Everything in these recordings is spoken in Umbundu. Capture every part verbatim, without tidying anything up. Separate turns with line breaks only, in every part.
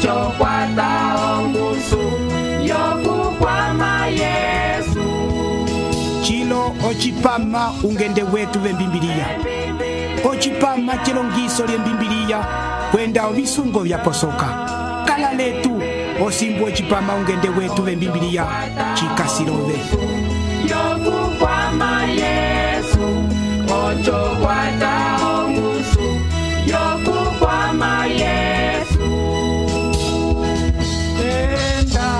ocho kwata ongusu yokukwama Yesu.
Chilo ochipama ungende wetu vembimbiliya. Ochipama chilongiso lye mbimbiliya kwenda ovisungo vyaposoka. Kala letu osimbu ochipama ungende wetu vembimbiliya chikasilove.
Yokukwama Yesu, ocho kwata ongusu yokukwama Yesu. Tenda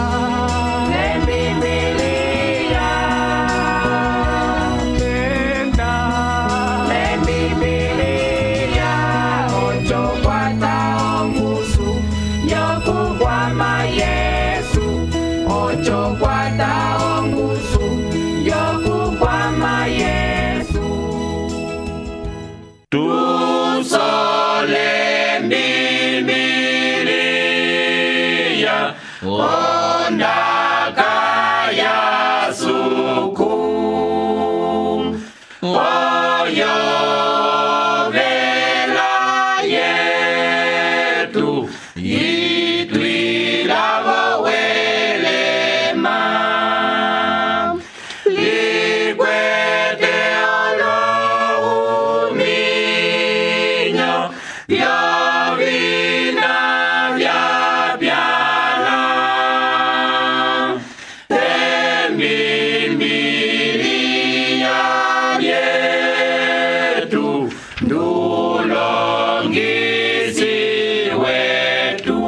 lembibiliya, tenda lembibiliya, ocho kwata ongusu yokukwama Yesu, ocho kwata ongusu yokukwama Yesu. Tusole mbibiliya ondaka ya suku oyo vela yetu itwilavo welema likwete olohuminyo vyovina vyapyala embimbiliya yetu ndulongisi wetu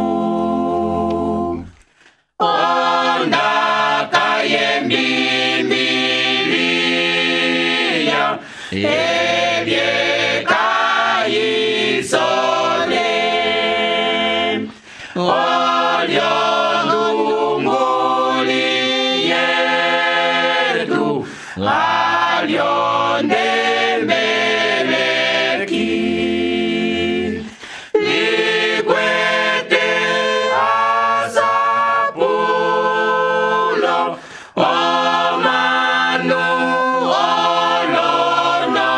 ondaka yembimbiliya ebyekayisole olyondunguli yetu alyondembeleki likwete asapulo omanu olono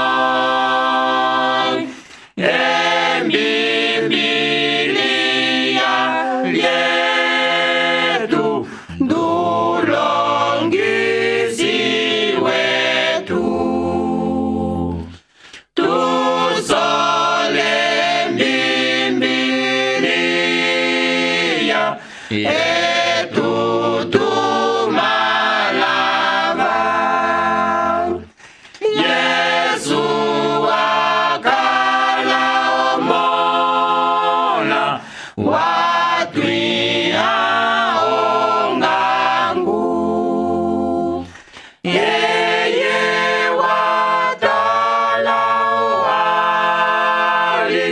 embimbiliya lyetu ndulongisi wetu. Tusole mbibiliya etu tumalava Yesu akala omola watwiha ongangu yeye watala wali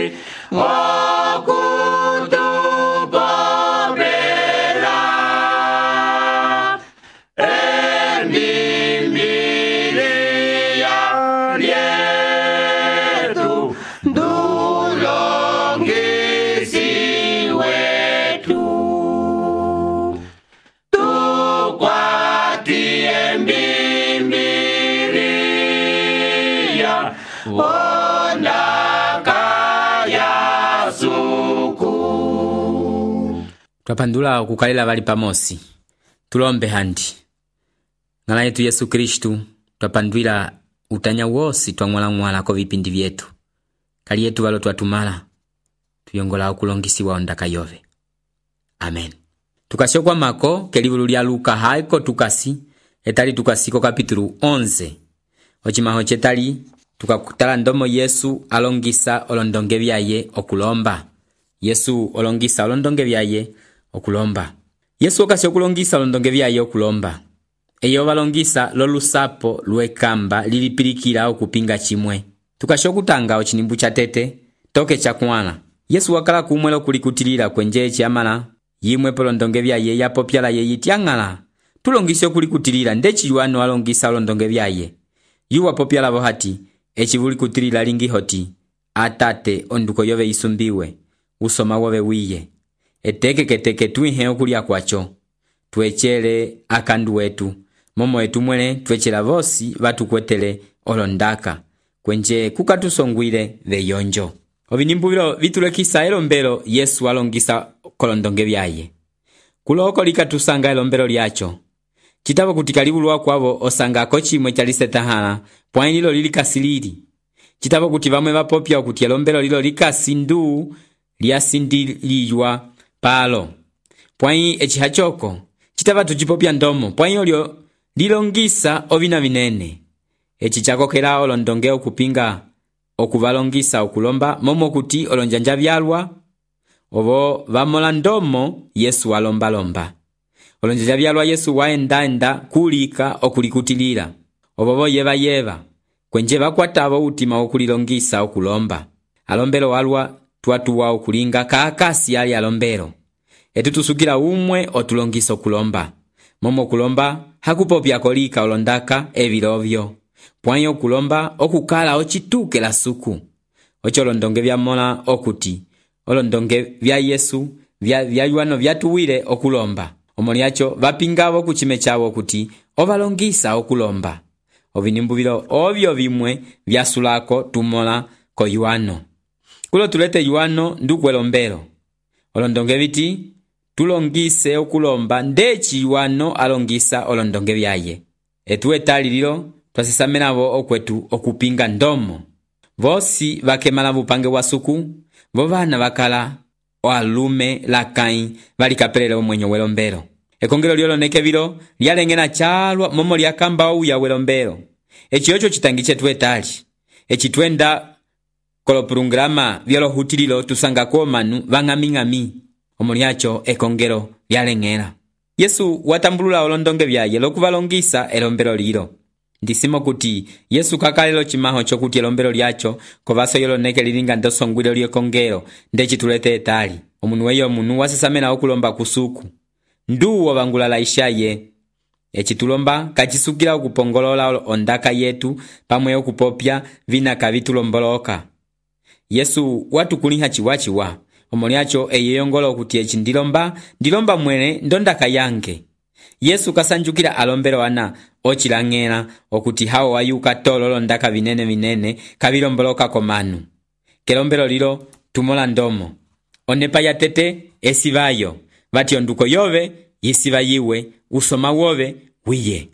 okutupopela embimbiliya lyetu ndulongisi wetu. Tukwati embimbiliya ondaka ya suku.
Twapandula okukalila bali pamosi. Tulombe handi. Ngala yetu Yesu Kristu twapandwila utanya wosi twamwala-mwala ko vipindi vyetu. Kali yetu walo twatumala tuyongola okulongisiwa ondaka yove. Amen. Tukashokwa mako kelivulu lya Luka haiko tukasi etali tukasiko kapitulu onze. Ochimaho chetali tukakutala ndomo Yesu alongisa olondonge byaye okulomba. Yesu olongisa olondonge byaye okulomba. Yesu okasi okulongisa olondonge byaye okulomba. Eyo balongisa lolusapo lwekamba lilipilikila okupinga chimwe. Tukashokutanga ochinimbu cha tete toke cha kwana. Yesu wakala kumwelo kulikutilila kwenje chiamala yimwe polondonge byaye yapopyala ye yitiangala. Tulongise kulikutilila ndechi yuano alongisa olondonge byaye. Yuwa popyala bohati echivuli kutilila lingi hoti atate onduko yove isumbiwe usoma wove wiye. Eteke keteke tuihe okulia kwacho. Tuechele akandu wetu. Momo etu mwene tuechela vosi vatu kwetele olondaka. Kwenje kukatusongwile veyonjo. Ovinimbuvilo vitulekisa elombelo Yesu alongisa kolondonge vyaye. Kuloko likatusanga elombelo lyacho. Chitavo kuti kalibulwa kwavo osanga kochimwe chalisetahala, pwani lilo lilikasilili. Chitavo kuti vamwe vapopya okuti elombelo lilo likasindu lyasindiliywa palo. Pwani echihachoko, chitava tuchipopya ndomo, pwani olyo lilongisa ovina vinene. Echi chakokela olondonge okupinga okuvalongisa okulomba momo kuti olonjanja vyalwa ovo vamola ndomo Yesu alomba lomba. Olonjanja vyalwa Yesu waenda enda kulika okulikutilila ovo yeva yeva kwenje vakwatavo utima okulilongisa okulomba. Alombelo walwa tuatuwa okulinga kakasi ali alombelo. Etu tusukila umwe otulongisa okulomba. Momo kulomba hakupopya kolika olondaka evilovyo. Pwanyo okulomba okukala ochituke la suku. Ocho olondonge vyamola okuti olondonge vya Yesu vya vyayuano vyatuwile okulomba. Omoliacho vapingavo kuchime chavo okuti ovalongisa okulomba. Ovinimbuvilo ovyo vimwe vyasulako tumola ko yuano. Kulo tulete yuano nduku elombelo. Olondonge viti tulongise okulomba ndechi yuano alongisa olondonge vyaye. Etu etali lilo twasesamenavo okwetu okupinga ndomo. Vosi vakemala vupange wa suku, vovana vakala oalume lakai valikapelele omwenyo welombelo. Ekongelo lyoloneke vilo lyalengena chalwa momo lyakamba ouya welombelo. Echi yocho chitangi chetu etali. Echi twenda kolopurungrama vyolohutililo tusanga komanu vang'ami-ng'ami. Omoliacho ekongelo lyalengela. Yesu watambulula olondonge vyaye lokuvalongisa elombelo lilo. Ndisimo kuti Yesu kakalelo chimaho chokuti elombelo lyacho kovaso yoloneke lilinga ndosongwilo lyekongelo ndechi tulete etali. Omunu weyo omunu wasesamena okulomba kusuku. Nduwo vangulala ishaye. Echi tulomba kachisukila okupongolola ondaka yetu pamwe okupopya vina kavitulomboloka. Yesu watukuliha chiwachiwa. Omoliacho eyeyongolo okuti echi ndilomba, ndilomba mwene ndondaka yange. Yesu kasanjukila alombelo ana ochilangela okuti hao wayuka tololo ndaka vinene vinene kavilomboloka komanu. Kelombelo lilo tumola ndomo. Onepa ya tete esivayo. Vati onduko yove yesiva yiwe usoma wove wiye.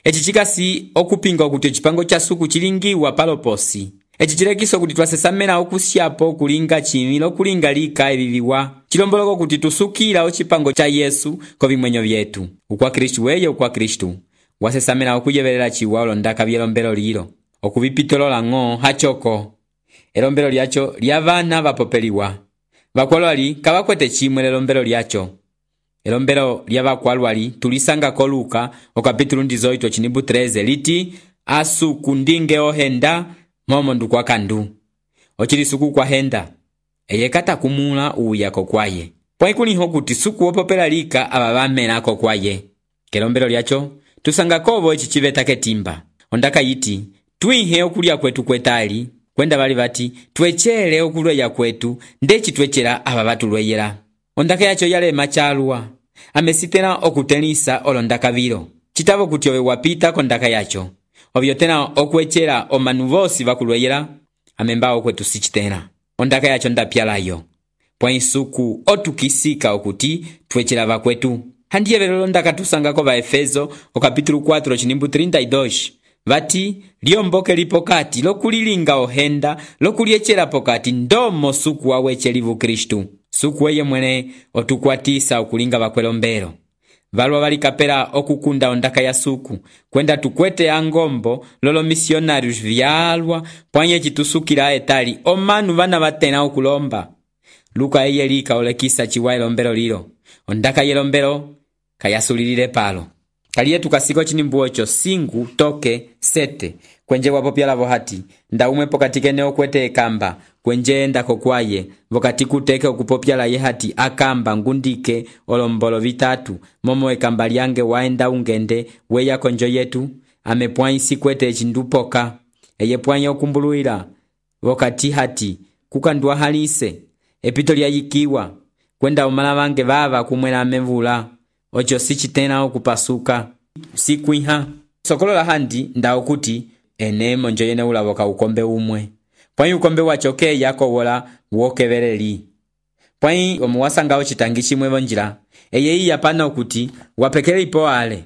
Echi chikasi okupinga okuti echipango cha suku chilingiwa paloposi. Echi chilekiso kuti twasesamena okusyapo kulinga chimilo kulinga lika eviviwa. Chilomboloko kuti tusukila ochipango cha Yesu kovimwenyo vyetu. Ukwa Kristu weye ukwa Kristu. Wasesamena okuyevelela chiwa olondaka vyelombelo lilo. Okuvipitolola ng'o hachoko. Elombelo lyacho lyavana vapopeliwa. Vakwalwali kavakwete chimwe elombelo lyacho. Elombelo lyavakwalwali tulisanga ko Luka okapitulu ndizoito chinibu treze liti asuku ndinge ohenda momo ndukwa kandu. Ochili kwa henda. Eye kata kumula uya kokwaye. Pwaikuliho kuti suku opopela lika abavamena kokwaye. Kelombelo lyacho tusanga kovo echi chiveta ketimba. Ondaka yiti tuihe okulia kwetu kwetali. Kwenda bali bati twechele okulweya kwetu ndechi twechela ababatulweyela. Ondaka yacho yale machalwa. Amesitena okutenisa olondaka vilo. Chitavo kuti owe wapita kondaka yacho. Ovyotena okwechela omanu vosi vakulweyela. Amembao kwetu sichitena. Ondaka yacho ndapyalayo. Pwa isuku otukisika okuti twechela vakwetu. Handiye velo ondaka tusanga kova Efeso okapitulu kwatro chinimbu trinta y dos. Vati liomboke lipokati lokulilinga ohenda lokuliechela pokati ndomo suku wawechelivu Kristu. Suku weye mwene otukwatisa okulinga vakwelombelo. Valwa valikapela okukunda ondaka ya suku. Kwenda tukwete angombo lolo misionarius vyalwa pwanye chitusukila etali omanu vana vatena okulomba. Luka eye lika olekisa chiwa elombelo lilo. Ondaka yelombelo kayasulilile palo. Kaliye tukasiko chinimbu ocho singu toke sete. Kwenje wapopyala vohati. Nda umwe pokatikene okwete ekamba. Kwenje enda kokwaye. Vokati kuteke okupopyala yehati akamba ngundike olombolo vitatu. Momo ekamba liange waenda ungende weya konjo yetu. Amepwanyi sikwete chindupoka. Eye pwanyi okumbuluila. Vokati hati kukandua halise. Epito lyayikiwa. Kwenda umala vange vava kumwela amevula. Ocho sichitena okupasuka. Sikuiha. Sokolo la handi nda okuti ene monjo yene ulavoka ukombe umwe. pwai ukombe wacho keya kowola wokeveleli. Pwai omuwasanga ocitangi chimwe vonjila, eye iya pana okuti wapekele ipo ale.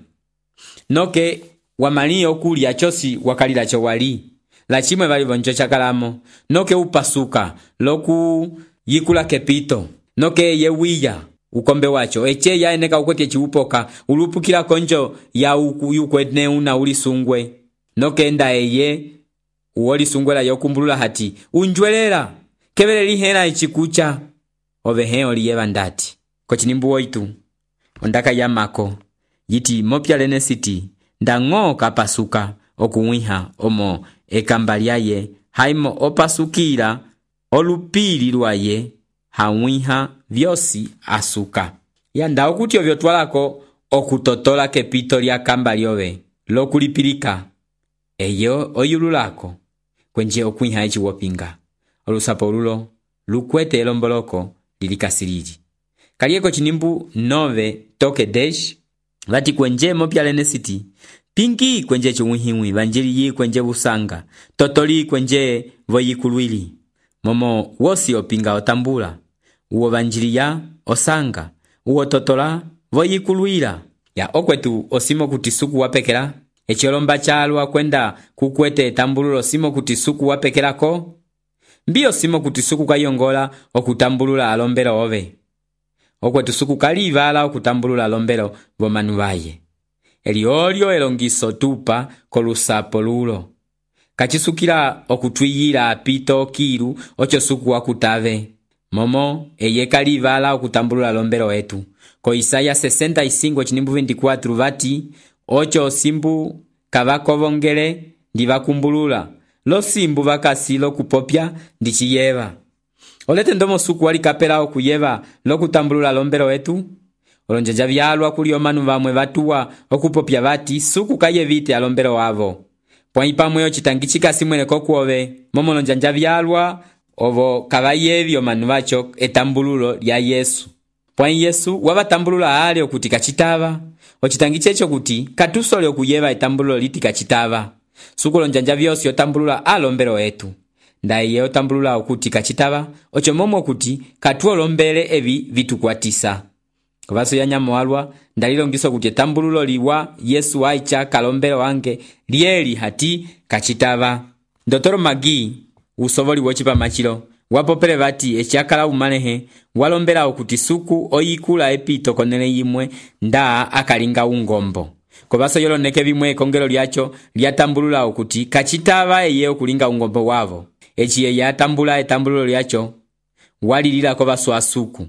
Noke wamali okulya chosi wakalila cho wali. La chimwe vali vonjo chakalamo, noke upasuka, loku yikula kepito. Noke ye wiya ukombe wacho, eche ya eneka ukwete chiupoka, ulupukila konjo ya uku yukwene una ulisungwe. Noke enda eye uwoli sungwela yokumbulula hati, unjwelela, kevele lihena ichikucha. Ove heo liyeva ndati. Kochinimbu oitu, ondaka ya mako, yiti mopya lene siti, ndango kapasuka, okuwiha omo ekambaliaye, haimo opasukira, olupili luaye, hawiha vyosi asuka. Ya nda okuti ovyo twalako, okutotola kepito lya kambaliowe, lokulipilika, eyo oyululako, kwenje okuwiha echi wopinga. Olusapo ululo, lukwete elomboloko, lilikasiriji. Kalieko chinimbu nove toke desh, vati kwenje mopya lene siti, pingi kwenje chumuhiwi, vanjili yi kwenje busanga, totoli kwenje voyikuluili. Momo wosi opinga otambula, uo vanjili ya osanga, uo totola voyikuluila. Ya okwetu osimo kutisuku wapekela, echolomba chalwa kwenda kukwete tambululo simo kutisuku wapekela ko, mbio simo kutisuku kayongola okutambulula alombelo ove. Okwetu suku kalivala okutambulula alombelo vomanu vaye. Eliolio elongiso tupa kolusapo lulo. Kachisukila okutwiyila apito kiru ocho suku wakutave. Momo eye kalivala okutambulula alombelo etu. Ko Isaya sesenta y cinco chinimbu veinticuatro vati, ocho simbu kavakovongele ndivakumbulula. Lo simbu vakasi lo kupopya ndichiyeva. Olete ndomo suku wali kapela okuyeva lo kutambulula lombelo etu. Olonjanja vyalwa kuli omanu vamwe vatuwa okupopya vati suku kayevite alombelo wavo. Pwai pamwe ochitangi chikasi mwene kokuove. Momo lonjanja vyalwa ovo kavayevi omanu vacho etambululo lya Yesu. Pwai Yesu wavatambulula ale okuti kachitava. Ochitangi checho kuti katusole okuyeva etambululo liti kachitava. Suku lonjanja vyosi otambulula alombelo etu. Ndaye otambulula okuti kachitava, ocho momo okuti katuo lombele evi vitukwatisa. Kuvaso ya nyamo alwa, ndalilongiso kuti tambululo liwa Yesu waicha kalombelo wange lieli hati kachitava. Ndotoro Magi, usovoli wochipa machilo, wapopele vati echiakala umanehe, walombela okuti suku oyikula epito konele yimwe nda akalinga ungombo. Kuvaso yolo neke vimwe kongelo liacho, liatambulula okuti kachitava eye okulinga ungombo wavo. Echi ye yatambula etambululo liacho, walilila kovaso asuku.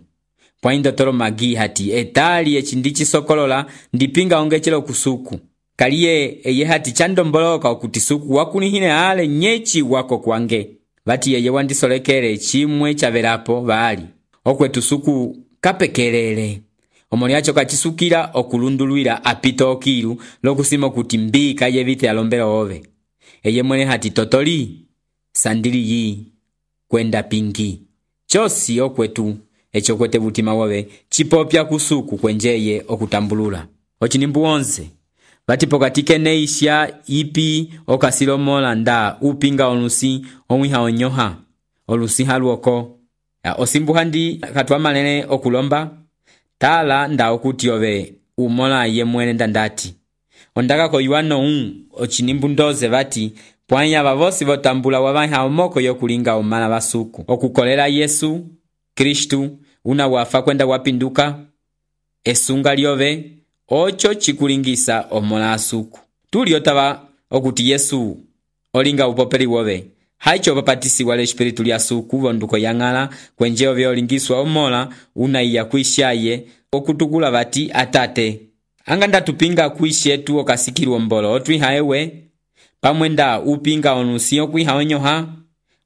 Pwai Ndotoro Magi hati, etali echindichi sokolola, ndipinga ongechelo kusuku. Kaliye eye hati chandomboloka okuti suku wakunihine ale nyechi wako kwange. Vati yeye wandisolekele chimwe chavelapo vali. Okwetu suku kapekelele. Omoliacho kachisukila okulunduluila apito okilu, lokusimo kuti mbi kayevite alombelo ove. Eye mwene hati totoli, sandili yi, kwenda pingi. Chosi okwetu, echo kwete butima wove, chipopya kusuku kwenjeye okutambulula. Ochinimbu onze, vati pokatike neisha ipi okasilomola nda upinga olusi omwiha onyoha, olusi haluoko. Osimbu handi katwa malene okulomba, tala nda okuti ove umola ye mwene ndandati. Ondaka ko yuano un, ochinimbu ndoze vati, pwanya vavosi votambula wavanha omoko yokulinga omana basuku. Okukolela Yesu, Kristu, una wafa kwenda wapinduka, esunga liove, ocho chikulingisa omola asuku. Tuli otava okuti Yesu, olinga upopeli wove. Haicho papatisi wale espiritu li asuku vonduko yangala, kwenje ove olingiswa omola, una iya kuishaye, okutukula vati atate. Anganda tupinga kuishetu okasikiru ombolo, otwiha ewe, pamwenda upinga onusio kwiha onyoha,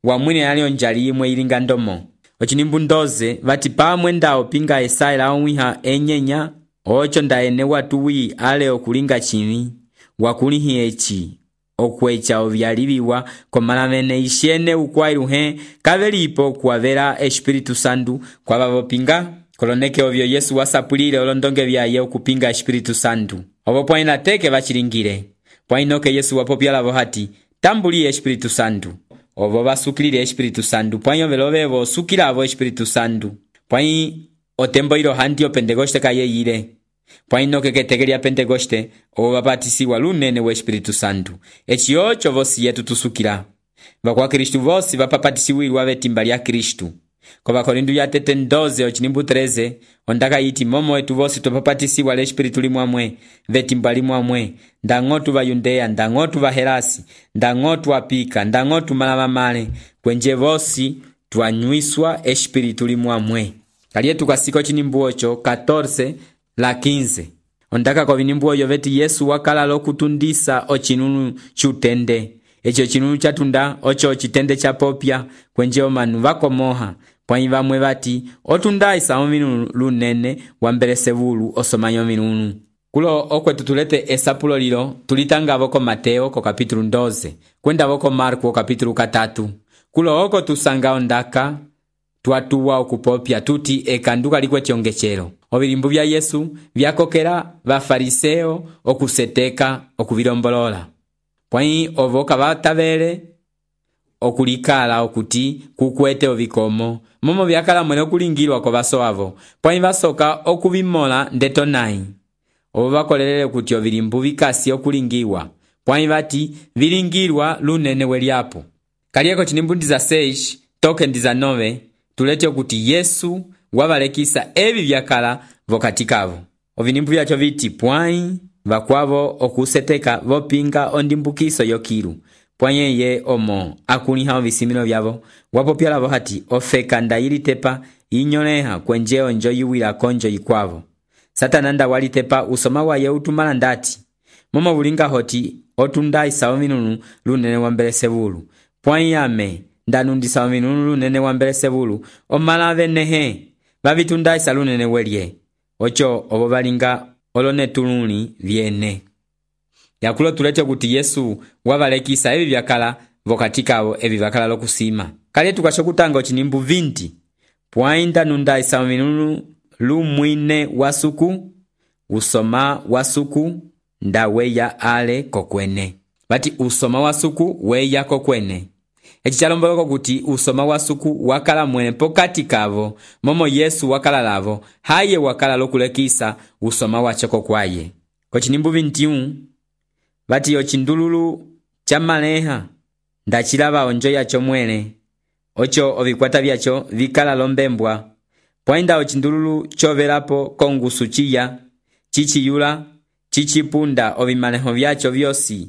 wamwine alio njali imwe ilinga ndomo. Ochinimbu ndoze, vati pamwenda opinga esaila onwiha enyenya, ocho ndaene watuwi ale okulinga chini, wakulihi echi, okwecha ovyalibiwa, komalamene ishene ukwairuhe, kavelipo kuavera espiritu sandu, kwa vavopinga, koloneke ovyo Yesu wasapulile olondonge vyaye okupinga espiritu sandu. Ovo pwaina teke vachilingile. Pwainoke Yesu wapopya lavo hati, tambuli espiritu sandu. ovo vasukilile Espiritu Santo pwãyi ovelo vevo osukilavo Espiritu Santo pwãyi otembo ilo handi o Pentecoste kayeyile pwãyi nokeketeke lya Pentecoste ovo vapatisiwa lunene wa Espiritu Santo eci oco vosi yetu tusukila vakwa Kristu vosi vapapatisiwilwa vetimba lya Kristu kova Korinto ya tete doze ochinimbu treze ondaka yiti momo wetu vosi tupapatisiwa le Espiritu limwamwe vetimba limwamwe ndang'otu va Yudea ndang'otu va Helasi ndang'otu apika ndang'otu malavamale kwenje vosi twanywiswa Espiritu limwamwe kalietu kasiko chinimbu ocho catorce la quinze ondaka kovinimbu oyo veti Yesu wakala lokutundisa ochinunu chutende echo chinunu chatunda ocho chitende cha popya kwenje omanu vakomoha pwãyi vamwe vati otundaisa ominunu lunene wambelesebulu osomanyo minunu kulo okwetu tulete esapulo lilo tulitangavo ko Mateo ko kapitulu doze kwendavo ko Marko ko kapitulu katatu kulo oko tusanga ondaka twatuwa okupopya tuti ekanduka likwe tiongechelo ovilimbu vya Yesu vyakokela vafariseo okuseteka okuvilombolola pwãyi ovo kavatavele okulikala okuti kukwete ovikomo momo vyakala mwene okulingilwa ko vaso avo pwãyi vasoka okuvimola ndeto nayi ovo vakolelele kuti ovilimbu vikasi okulingiwa pwãyi vati vilingilwa lunene welyapo kalieko chinimbu dezasseis toke dezanove tulete okuti Yesu wavalekisa evi vyakala vokatikavo ovinimbu vyacho viti pwãyi vakwavo okuseteka vopinga ondimbukiso yokilu pwãyi ye omo akuliha ovisimilo vyavo wapopyalavo hati ofeka ndayilitepa inyoleha kwenje onjo yiwila konjo yikwavo Satana nda walitepa usoma waye utumala ndati momo vulinga hoti otundaisa ominunu lunene wambelesebulu pwãyi ame ndanundisa ominunu lunene wambelesebulu omalave nehe vavitundaisa lunene welye ocho ovo valinga olonetuluni vyene yakulo tulete kuti Yesu wavalekisa evi vyakala vokatikavo evi vyakala lokusima kale tukasho kutanga ochinimbu vinti pwãyi ndanundaisa ominunu lumwine wasuku usoma wasuku nda weya ale kokwene vati usoma wasuku weya kokwene eci chalomboloko kuti usoma wasuku wakala mwene pokati kavo momo Yesu wakala lavo haye wakala lokulekisa usoma wacho kokwaye kochinimbu vintiun vati ochindululu cha maleha ndachilava onjo yacho mwene ocho ovikwata vyacho vikala lombembwa pwãyi nda ochindululu chovelapo kongusu chiya chichiyula chichipunda ovimaleho vyacho vyosi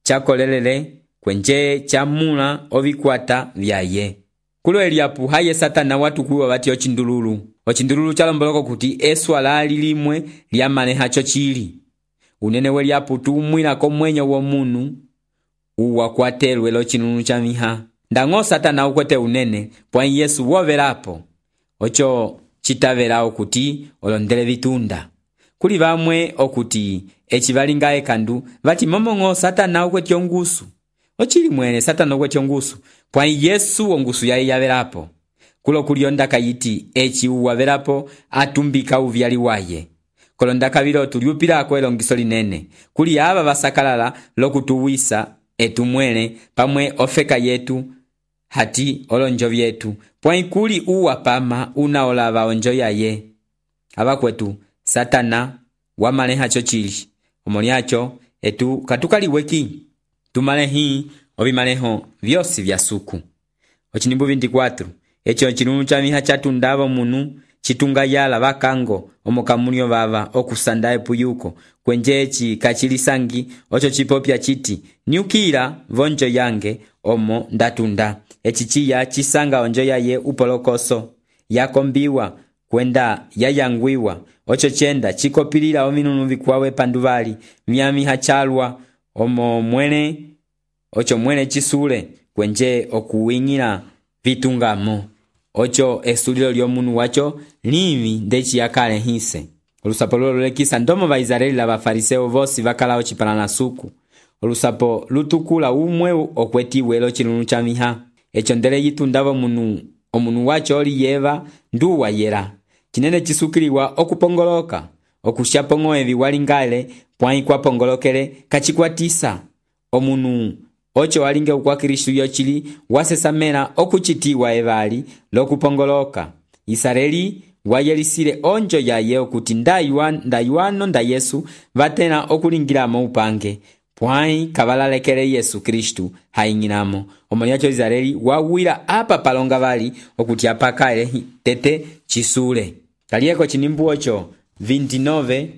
chakolelele kwenje chamula ovikwata vyaye kulo eliapu haye Satana watukuwa vati ochindululu ochindululu chalomboloko kuti eswala lilimwe lyamaleha chochili unene weliapu tumwilako mwenyo womunu uwakwatelwe lochinunu cha miha ndang'o Satana ukwete unene pwãyi Yesu wovelapo ocho chitavela okuti olondele vitunda kuli vamwe okuti eci valinga ekandu vati momong'o Satana ukwete ongusu ochili mwene Satana ukwete ongusu pwãyi Yesu ongusu yaye yavelapo kulo kuliondaka yiti eci uwavelapo atumbika uvyali waye kolondaka vilo tuliupilako elongiso linene kuli ava vasakalala lokutuwisa etumwele pamwe ofeka yetu hati olonjo vyetu pwãyi kuli uwa pama unaolava onjo yaye ava kwetu Satana wamaleha chochili omolyacho etu katukaliweki tumalehi ovimaleho vyosi vya suku ochinimbu vinti-kwatro echo chinunu cha miha chatundavo munu chitunga yala vakango omokamulio vava okusanda epuyuko kwenje eci kachilisangi ocho chipopya chiti nyukila vonjo yange omo ndatunda eci chiya chisanga onjo yaye upolokoso yakombiwa kwenda yayangwiwa ocho chenda chikopilila ominunu vikwawe panduvali myamiha chalwa omo mwene ocho mwene chisule kwenje okuwingila vitungamo ocho esulilo lyomunu wacho livi ndechi yakale hise olusapo lolekisa ndomo va Israeli la vafariseo vosi vakala ochipalana suku olusapo lutukula umwe okwetiwe lo chinunu cha miha echo ndele yitundavo munu omunu wacho oli yeva nduwa yera chinene chisukiliwa okupongoloka okushapong'o evi walingale pwãyi kwapongolokele kachikwatisa omunu ocho walinge ukwa Kristu yochili wasesamela okuchitiwa evali lokupongoloka. Israeli wayelisile onjo yaye okuti ndayuano nda Yesu vatena okulingilamo upange, pwai kabalalekele Yesu Kristu haing'inamo. Omoliacho Israeli wawila apa palonga vali okuti apakale tete chisule. Kalieko chinimbu ocho veintinueve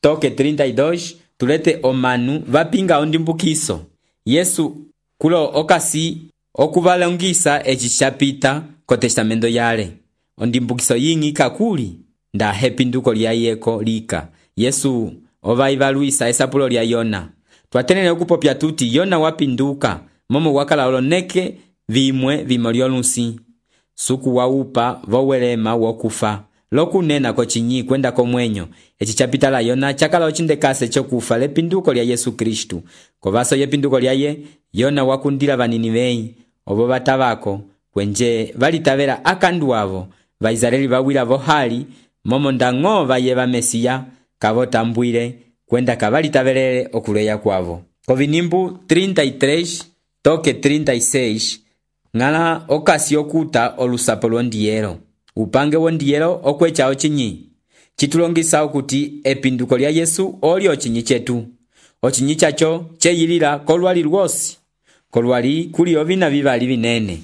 toke trinta y dos tulete omanu vapinga ondimbukiso. Yesu kulo okasi okuvalongisa echi chapita ko testamento yale. Ondimbukiso yingi kakuli nda hepinduko lyayeko lika. Yesu ovaivaluisa esapulo lya Yona. Twatenele okupopya tuti Yona wapinduka momo wakala oloneke vimwe vimoliolusi. Suku waupa vowelema wokufa. Lokunena kochinyi kwenda komwenyo. Echi chapita la Yona chakala ochindekase chokufa lepinduko lya Yesu Kristu. Kovaso yepinduko lyaye Yona wakundila vaninivei obo batavako kwenje valitavela akandu avo. Vaisraeli vawila vohali momo ndango vayeva Mesia kavotambwile kwenda kavalitavelele okuleya kwavo. Kovinimbu trinta y tres toke trinta y seis ngala okasi okuta olusapo lwondiyelo. Upange wondiyelo okwecha ochinyi chitulongisa okuti epinduko lya Yesu oli ochinyi chetu. Ochinyi chacho cheyilila kolwali lwosi. Kolwali kuli ovina vivali vinene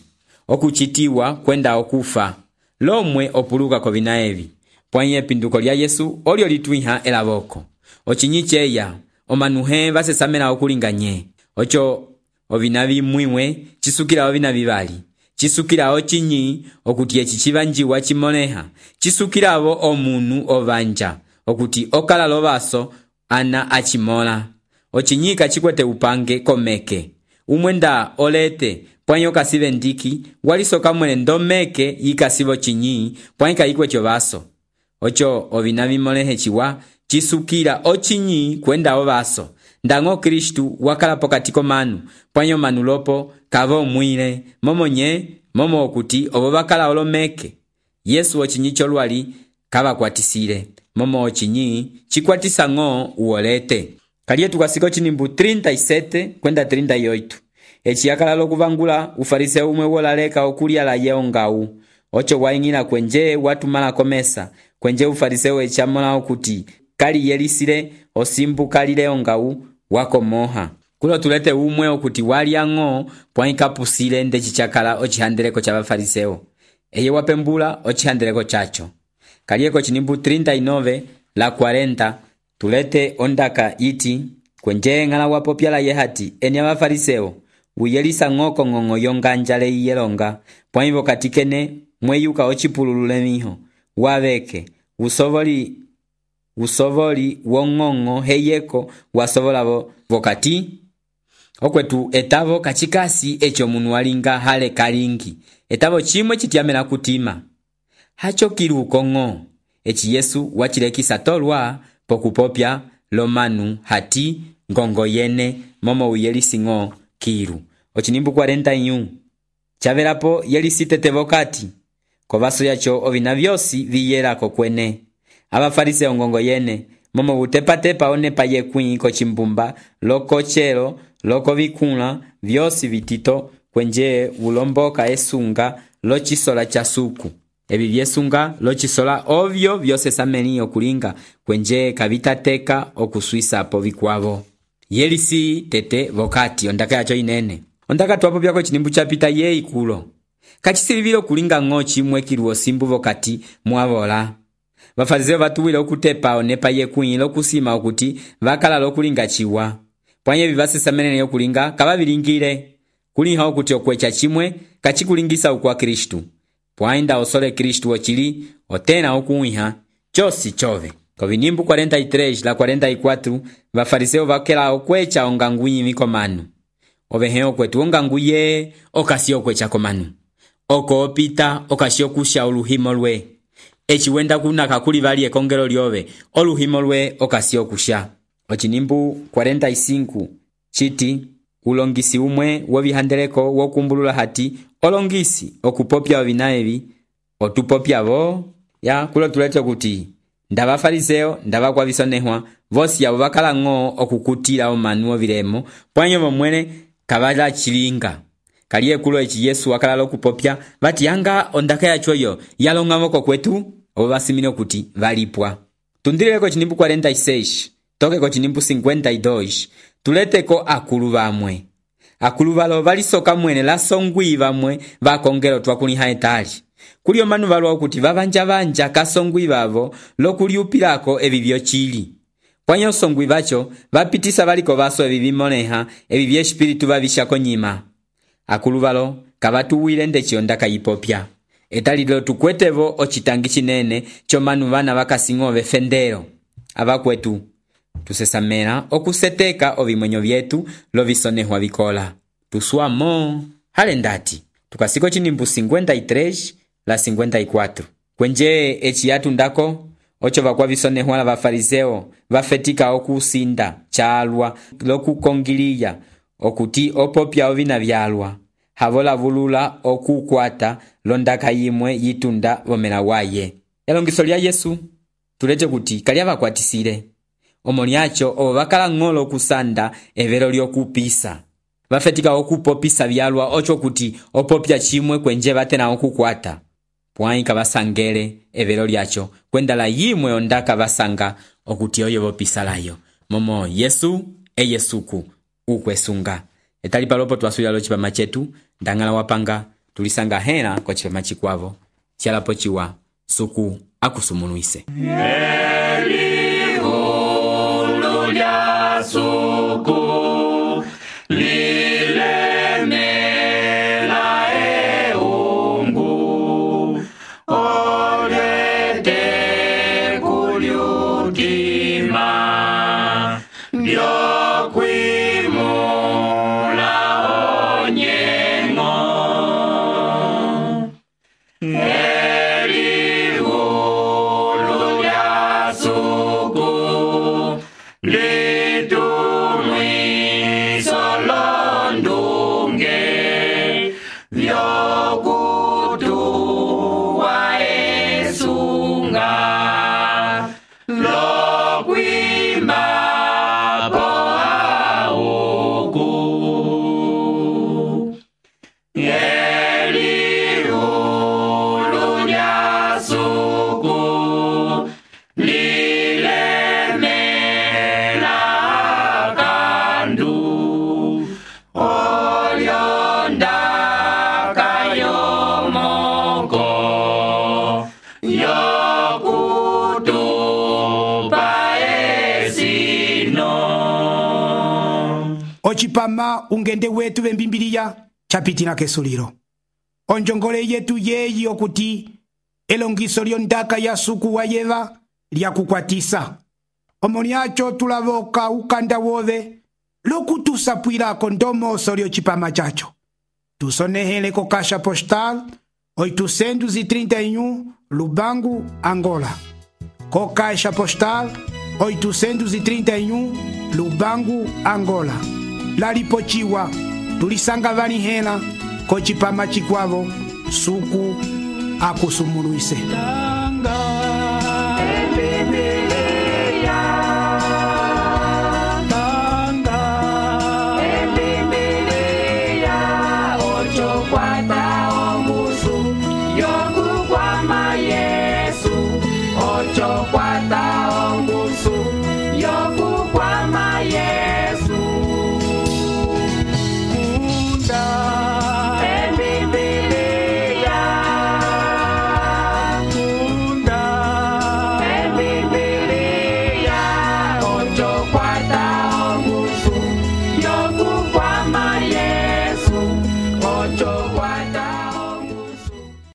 okuchitiwa kwenda okufa. Lomwe opuluka kovina evi. Pwanye epinduko lya Yesu oli olituiha elavoko. Ochinyi cheya omanuhe vasesamela okulinganye. Ocho ovina vimwiwe chisukila ovina vivali. Chisukila ochinyi okuti echi chivanjiwa chimoneha. Chisukila avo omunu ovanja okuti okala lovaso ana achimola. Ochinyi kachikwete upange komeke. Umwenda olete pwanyo kasive ndiki walisoka mwene ndomeke yikasivo chinyi pwanyo kaikwecho vaso. Ocho ovina vimolehe chiwa chisukila ochinyi kwenda ovaso. Ndango Kristu wakala pokatiko manu pwanyo manu lopo kavo mwile momo nye momo okuti obo bakala olomeke. Yesu ochinyi cholwali kava kwatisile momo ochinyi chikwatisa ngo uolete. Kalietu kasiko chinimbu trinta y siete kwenda trinta y ocho. Echi yakala lokuvangula ufariseo umwe wolaleka okulia la yeongau. Ocho waingila kwenje watu mala komesa. Kwenje ufariseo echamola okuti kali yelisile osimbu kali leongau wako moha. Kulo tulete umwe okuti wali yango pwaika pusile nde chichakala ochihandeleko cha bafariseo. Eye wapembula ochihandeleko chacho. Kalieko chinimbu trinta y nueve la cuarenta tulete ondaka iti kwenje ngala wapopya la yehati eni abafariseo uyelisa ngoko ngongo yonganjale iyelonga pwaivo katikene mweyuka ochipululule miho waveke usovoli usovoli wongongo heyeko wasovolavo vokati okwetu etavo kachikasi echo munu walinga hale kalingi etavo chimwe chitiamela kutima hacho kiruko ngo echi Yesu wachilekisa tolwa pokupopya lomanu hati ngongo yene momo uyelisi ngo kiru. Ochinimbu cuarenta y uno chavelapo yelisitete vokati kovaso yacho ovina vyosi viyelako kwene. Abafariseo ngongo yene momo butepatepa onepa yekwi kochimbumba loko chelo loko vikula vyosi vitito kwenje ulomboka esunga lochisola chasuku. Ebi vyesunga lochisola ovyo vyose sameni okulinga kwenje kavitateka okuswisa po vikwavo. Yelisi tete vokati ondaka yacho inene. Ondaka tuwapo vyako chinimbu chapita ye ikulo. Kachisilivilo kulinga ngochi mwekiruo simbu vokati muavola. Vafarizeo vatuwile okutepa onepa yekwi lokusima okuti vakala lokulinga chiwa. Pwanye vivase samenene yokulinga kava vilingile. Kulinga okuti okwecha chimwe kachikulingisa ukwa Kristu. Pwainda osole Kristu ochili otena okuiha chosi chove. Kovinimbu cuarenta y tres la cuarenta y cuatro vafariseo vakela okwecha onganguyi mikomanu. Oveheo kwetu onganguye okasi okwecha komanu. Oko opita okasi okusha oluhimo lwe. Echi wenda kuna kakuli vali ekongelo lyove oluhimo lwe okasi okusha. Ochinimbu cuarenta y cinco chiti ulongisi umwe wovihandeleko wokumbulula hati olongisi okupopya ovinaevi otupopya vo ya kulo tulete kuti ndaba fariseo ndaba kwa visonehwa vosi yabo bakala ngo okukutira omanu oviremo pwanyo momwene kavala chilinga kaliye kulo eci Yesu wakalala okupopya vati yanga ondaka yacho yo yalong'amoko kwetu obo basimile kuti valipwa. Tundileko chinimbu cuarenta y seis tokeko chinimbu cincuenta y dos tuleteko akulu bamwe. Akulu balo balisoka mwene la songwi bamwe bakongelo twakuliha etali. Kulio manu balwa kuti babanja banja kasongwi babo lokuliupilako ebibyo chili. Kwanyo songwi bacho bapitisa baliko baso ebibimoneha ebibye espiritu babishako nyima. Akulu balo kabatuwile ndeki ondaka yipopya. Etalilo tukwetevo ochitangi chinene chomanu bana bakasingove fendero. Abakwetu tusesamera okuseteka obimwenyo byetu lovisonehwa bikola. Tusuamo hale ndati tukasiko chinimbu cincuenta y tres la cincuenta y cuatro. Kwenje echi yatu ndako ocho bakwa visonehwa la bafariseo bafetika okusinda chalwa lokukongiliya okuti opopya ovina byalwa. Havola vulula okukwata londaka yimwe yitunda bomela waye. Elongiso lya Yesu tuleje kuti kalya bakwatisile. Omoni acho obo bakala ng'olo kusanda evero lyokupisa. Bafetika okupopisa byalwa ocho kuti opopya chimwe kwenje batena okukwata. Pwaika basangele evero lyacho kwendala yimwe ondaka basanga okuti oyo bopisalayo. Momo Yesu e Yesuku ukwesunga. Etali palopo twasuya lo chipama chetu ndangala wapanga tulisanga hena kwa chipama chikwavo chialapo chiwa suku akusumunuise.
Elihulu lya suku lilemela eungu olete kuliutima byokwimo
Ochipama ungende wetu bembimbiliya chapitila kesuliro. Onjongole yetu yeyi okuti elongiso lyondaka ya suku wa yeva lya kukwatisa. Omoni acho tulavoka ukanda wove lokutusapwilako ndomoso lyochipama chacho. Tusonehele ko kasha postal oitocentos e trinta e um Lubango, Angola. Ko caixa postal oitocentos e trinta e um Lubango, Angola. Lalipochiwa tulisanga vani hena ko chipama chikwavo suku akusumunuise.